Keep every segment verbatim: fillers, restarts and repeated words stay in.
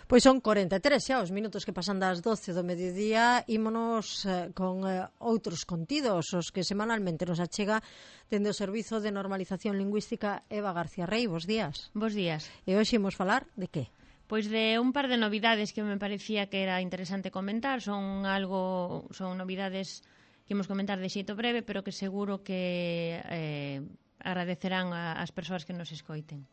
Pois son corenta e tres xa os minutos que pasan das doce do mediodía. Ímonos eh, con eh, outros contidos, os que semanalmente nos achega dende o Servizo de Normalización Lingüística Eva García Rey. Bos días. Bos días. E hoxe imos falar de que? Pois de un par de novidades que me parecía que era interesante comentar. Son algo, son novidades que imos comentar de xeito breve, pero que seguro que eh, agradecerán a, as persoas que nos escoiten.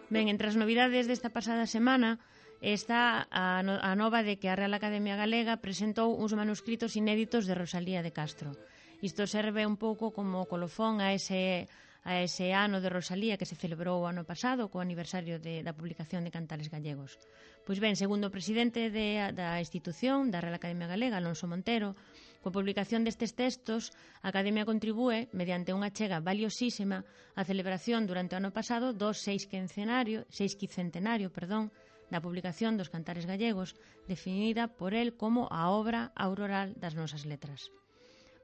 Ben, entre as novidades desta pasada semana está a, no, a nova de que a Real Academia Galega presentou uns manuscritos inéditos de Rosalía de Castro. Isto serve un pouco como colofón a ese, a ese ano de Rosalía que se celebrou o ano pasado co aniversario de, da publicación de Cantares Gallegos. Pois ben, segundo o presidente de, da institución, da Real Academia Galega, Alonso Montero, coa publicación destes textos, a Academia contribúe, mediante unha achega valiosísima, á celebración durante o ano pasado do seixcentenario, seixcentenario, perdón, da publicación dos Cantares Gallegos, definida por el como a obra auroral das nosas letras.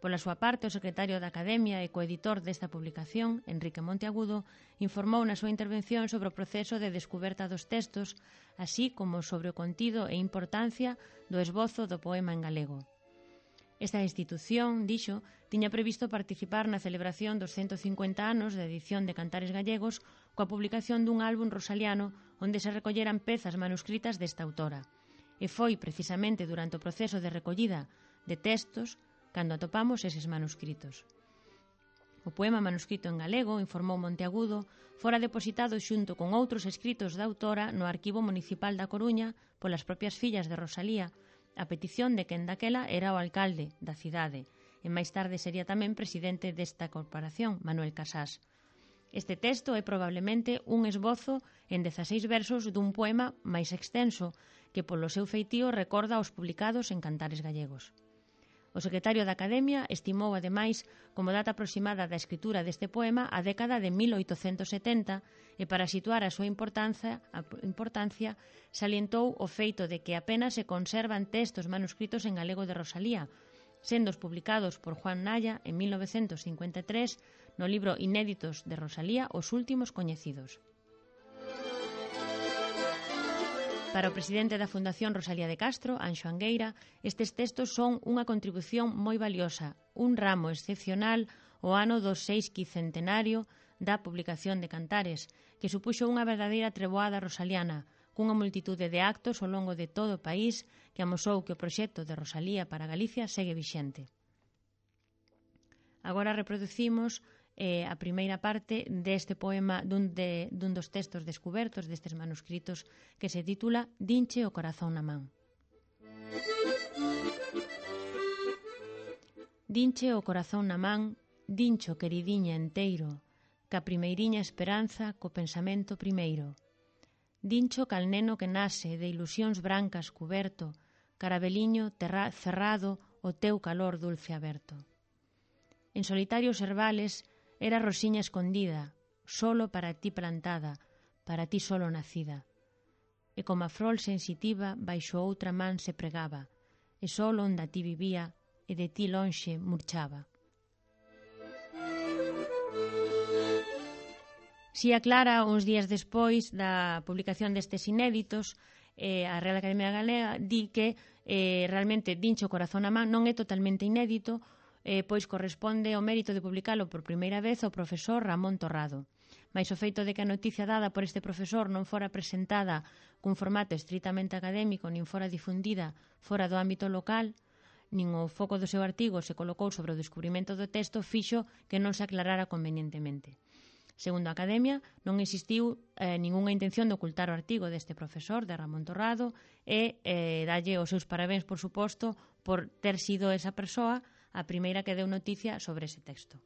Pola súa parte, o secretario da Academia e coeditor desta publicación, Enrique Monteagudo, informou na súa intervención sobre o proceso de descuberta dos textos, así como sobre o contido e importancia do esbozo do poema en galego. Esta institución, dixo, tiña previsto participar na celebración dos ciento cincuenta anos de edición de Cantares Gallegos coa publicación dun álbum rosaliano onde se recolleran pezas manuscritas desta autora. E foi precisamente durante o proceso de recollida de textos cando atopamos eses manuscritos. O poema manuscrito en galego, informou Monteagudo, fora depositado xunto con outros escritos da autora no Arquivo Municipal da Coruña polas propias fillas de Rosalía, a petición de quen daquela era o alcalde da cidade, e máis tarde sería tamén presidente desta corporación, Manuel Casás. Este texto é probablemente un esbozo en dezaseis versos dun poema máis extenso que polo seu feitío recorda os publicados en Cantares Gallegos. O secretario da Academia estimou, ademais, como data aproximada da escritura deste poema a década de mil oitocentos setenta e para situar a súa importancia, a importancia salientou o feito de que apenas se conservan textos manuscritos en galego de Rosalía, sendo os publicados por Juan Naya en mil novecentos cincuenta e tres no libro Inéditos de Rosalía, os últimos coñecidos. Para o presidente da Fundación Rosalía de Castro, Anxo Angueira, estes textos son unha contribución moi valiosa, un ramo excepcional o ano do seixcentenario da publicación de Cantares, que supuxo unha verdadeira treboada rosaliana, cunha multitude de actos ao longo de todo o país que amosou que o proxecto de Rosalía para Galicia segue vixente. Agora reproducimos eh, a primeira parte deste poema dun, de, dun dos textos descubertos destes manuscritos que se titula Dinche o corazón na man. Dinche o corazón na man, dincho queridiña enteiro, ca primeiriña esperanza co pensamento primeiro. Dincho cal neno que nase de ilusións brancas cuberto, carabeliño terra, cerrado o teu calor dulce aberto. En solitarios herbales era rosiña escondida, solo para ti plantada, para ti solo nacida. E como a frol sensitiva baixo outra man se pregaba, e solo onde a ti vivía e de ti lonxe murchaba. Si aclara, uns días despois da publicación destes inéditos, eh, a Real Academia Galega di que eh, realmente Dinche o corazón na man non é totalmente inédito, Eh, pois corresponde ao mérito de publicalo por primeira vez ao profesor Ramón Torrado. Mais o feito de que a noticia dada por este profesor non fora presentada cun formato estritamente académico nin fora difundida fora do ámbito local, nin o foco do seu artigo se colocou sobre o descubrimento do texto, fixo que non se aclarara convenientemente. Segundo a Academia, non existiu eh, ningunha intención de ocultar o artigo deste profesor, de Ramón Torrado, e eh, dalle os seus parabéns, por suposto, por ter sido esa persoa a primeira que deu noticia sobre ese texto.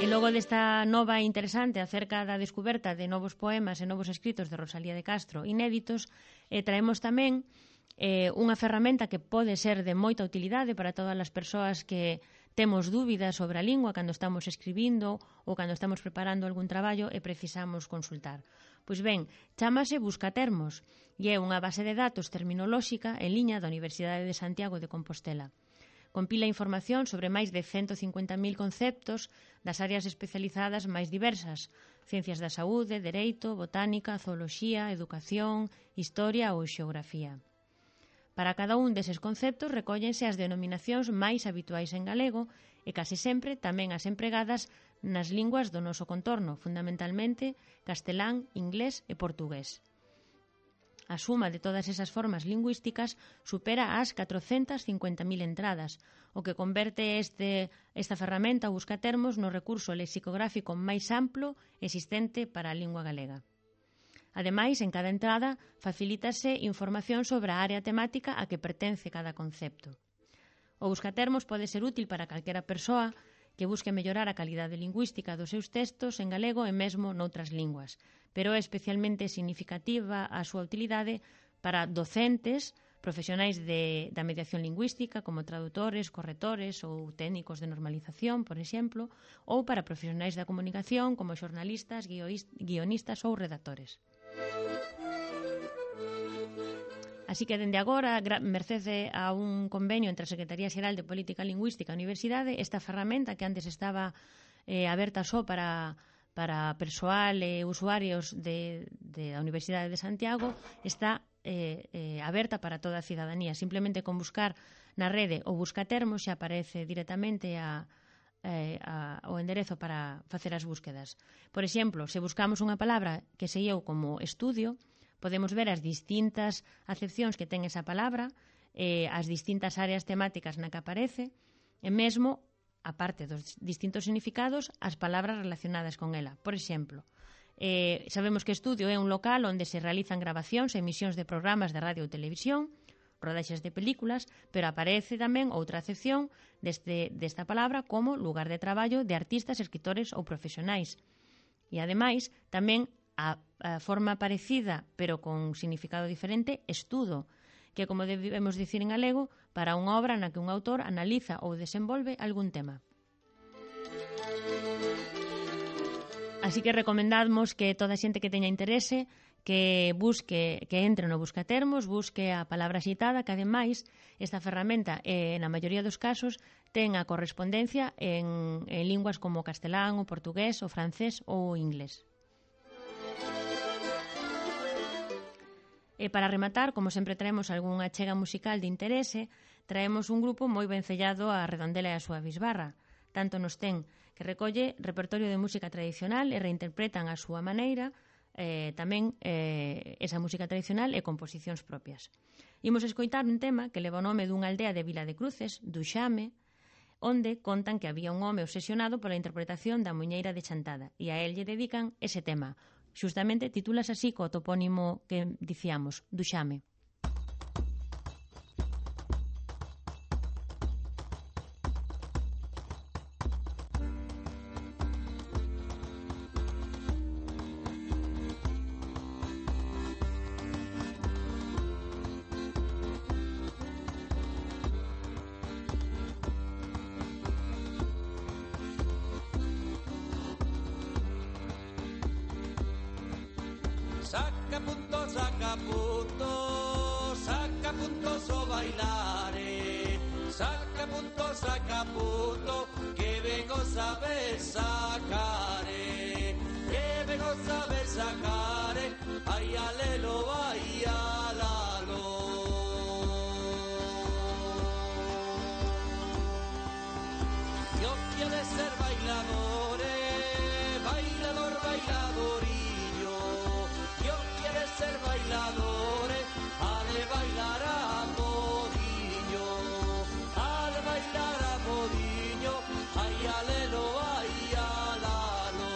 E logo desta nova interesante acerca da descoberta de novos poemas e novos escritos de Rosalía de Castro inéditos, eh, traemos tamén eh, unha ferramenta que pode ser de moita utilidade para todas as persoas que temos dúbidas sobre a lingua cando estamos escribindo ou cando estamos preparando algún traballo e precisamos consultar. Pois ben, chámase Buscatermos e é unha base de datos terminolóxica en liña da Universidade de Santiago de Compostela. Compila información sobre máis de ciento cincuenta mil conceptos das áreas especializadas máis diversas: ciencias da saúde, dereito, botánica, zooloxía, educación, historia ou xeografía. Para cada un deses conceptos recóllense as denominacións máis habituais en galego e case sempre tamén as empregadas nas linguas do noso contorno, fundamentalmente castelán, inglés e portugués. A suma de todas esas formas lingüísticas supera as catrocentas cincuenta mil entradas, o que converte este, esta ferramenta Buscatermos no recurso lexicográfico máis amplo existente para a lingua galega. Ademais, en cada entrada facilítase información sobre a área temática a que pertence cada concepto. O Buscatermos pode ser útil para calquera persoa que busque mellorar a calidade lingüística dos seus textos en galego e mesmo noutras linguas, pero é especialmente significativa a súa utilidade para docentes, profesionais de, da mediación lingüística, como tradutores, corretores ou técnicos de normalización, por exemplo, ou para profesionais da comunicación, como xornalistas, guionistas ou redactores. Así que, dende agora, merced a un convenio entre a Secretaría Xeral de Política Lingüística e a Universidade, esta ferramenta que antes estaba eh, aberta só para, para persoal e usuarios de, de a Universidade de Santiago, está eh, eh, aberta para toda a cidadanía. Simplemente con buscar na rede o Buscatermos xa aparece directamente a, eh, a, o enderezo para facer as búsquedas. Por exemplo, se buscamos unha palabra que se eu como estudio, podemos ver as distintas acepcións que ten esa palabra, eh, as distintas áreas temáticas na que aparece, e mesmo, aparte dos distintos significados, as palabras relacionadas con ela. Por exemplo, eh, sabemos que estudio é un local onde se realizan grabacións e emisións de programas de radio ou televisión, rodaxes de películas, pero aparece tamén outra acepción deste, desta palabra como lugar de traballo de artistas, escritores ou profesionais. E, ademais, tamén a, a forma parecida, pero con significado diferente, estudo, que, como debemos dicir en galego, para unha obra na que un autor analiza ou desenvolve algún tema. Así que recomendamos que toda a xente que teña interese que busque, que entre no Buscatermos, busque a palabra citada, que ademais esta ferramenta, eh, na maioría dos casos, ten a correspondencia en, en linguas como castelán, o portugués, o francés ou o inglés. E para rematar, como sempre traemos algunha achega musical de interese, traemos un grupo moi vencellado a Redondela e a súa bisbarra. Tanto nos ten que recolle repertorio de música tradicional e reinterpretan a súa maneira eh, tamén eh, esa música tradicional e composicións propias. Imos escoitar un tema que leva o nome dunha aldea de Vila de Cruces, Duxame, onde contan que había un home obsesionado pola interpretación da Muiñeira de Chantada, e a él lle dedican ese tema. Xustamente titulas así co topónimo que dicíamos, Duxame. Saca punto, saca punto, saca punto so bailare, saca punto, saca punto, que vengo saber sacare, que vengo saber sacare, ay alelo, ay alalo. Yo quiero ser bailador, bailador, bailador. Ser bailadores, ha de bailar a modiño, ha de bailar a modiño, ay alelo, ay alalo.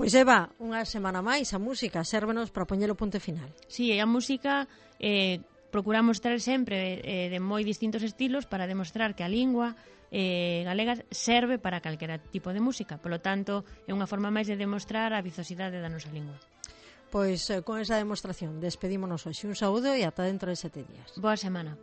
Pois Eva, unha semana máis a música sérvenos para poñer o punto final. Sí, e a música eh, procuramos traer sempre eh, de moi distintos estilos para demostrar que a lingua eh, galega serve para calquera tipo de música. Polo tanto, é unha forma máis de demostrar a vizosidade da nosa lingua. Pois eh, con esa demostración despedímonos hoxe. Un saúdo e ata dentro de sete días. Boa semana.